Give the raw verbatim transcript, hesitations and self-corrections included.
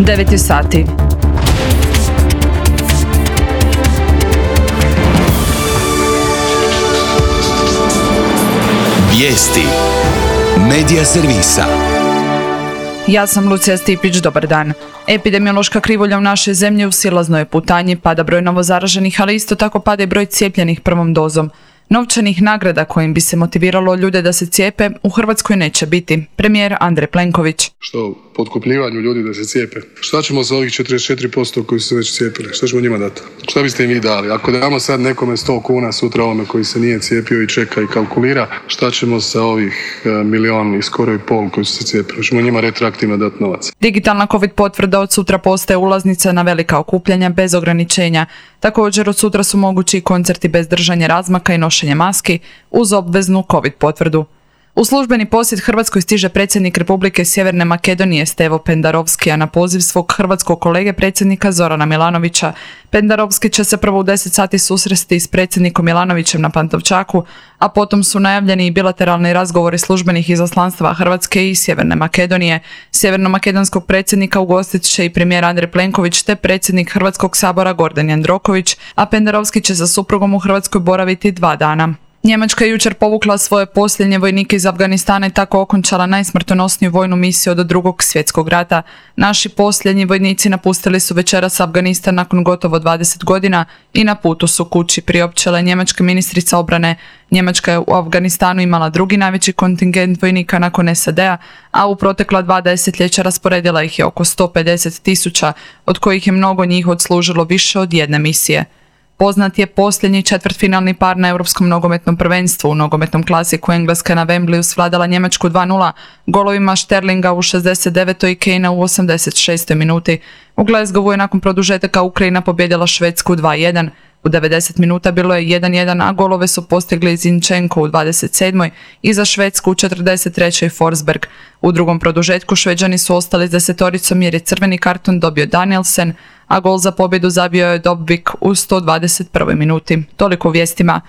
devet je sati. Vijesti Medija servisa. Ja sam Lucija Stipić, dobar dan. Epidemiološka krivulja u našoj zemlji u silaznoj je putanji, pada broj novozaraženih, ali isto tako pada i broj cijepljenih prvom dozom. Novčanih nagrada kojim bi se motiviralo ljude da se cijepe u Hrvatskoj neće biti. Premijer Andrej Plenković. Što, potkupljivanju ljudi da se cijepe? Šta ćemo sa ovih četrdeset četiri posto koji su se već cijepili? Šta ćemo njima dati? Šta biste im vi dali? Ako damo sad nekome sto kuna, sutra ovome koji se nije cijepio i čeka i kalkulira, šta ćemo sa ovih e, milion i skoro i pol koji su se cijepili? Ćemo njima retroaktivno dati novac. Digitalna COVID potvrda od sutra postaje ulaznica na velika okupljanja bez ograničenja. Također od sutra su mogući i koncerti bez držanja razmaka i nošenja maski uz obveznu COVID potvrdu. U službeni posjet Hrvatskoj stiže predsjednik Republike Sjeverne Makedonije Stevo Pendarovski, a na poziv svog hrvatskog kolege predsjednika Zorana Milanovića. Pendarovski će se prvo u deset sati susresti s predsjednikom Milanovićem na Pantovčaku, a potom su najavljeni i bilateralni razgovori službenih izaslanstva Hrvatske i Sjeverne Makedonije. Sjeverno-makedonskog predsjednika ugostit će i premijer Andrej Plenković te predsjednik Hrvatskog sabora Gordan Jandroković, a Pendarovski će sa suprugom u Hrvatskoj boraviti dva dana. Njemačka je jučer povukla svoje posljednje vojnike iz Afganistana i tako okončala najsmrtonosniju vojnu misiju od drugog svjetskog rata. Naši posljednji vojnici napustili su večeras Afganistan nakon gotovo dvadeset godina i na putu su kući, priopćila njemačka ministrica obrane. Njemačka je u Afganistanu imala drugi najveći kontingent vojnika nakon S A D-a, a u protekla dva desetljeća rasporedila ih je oko sto pedeset tisuća, od kojih je mnogo njih odslužilo više od jedne misije. Poznat je posljednji četvrtfinalni par na Europskom nogometnom prvenstvu. U nogometnom klasiku Engleska na Wembleyu svladala Njemačku dva nula golovima Sterlinga u šezdeset devetoj i Kanea u osamdeset šestoj minuti. U Glasgowu je nakon produžetaka Ukrajina pobjedila Švedsku dva jedan. U devedeset minuta bilo je jedan jedan, a golove su postigli Zinchenko u dvadeset sedmoj i za Švedsku u četrdeset trećoj Forsberg. U drugom produžetku Šveđani su ostali s desetoricom jer je crveni karton dobio Danielsen, a gol za pobjedu zabio je Dobvik u sto dvadeset prvoj minuti. Toliko u vijestima.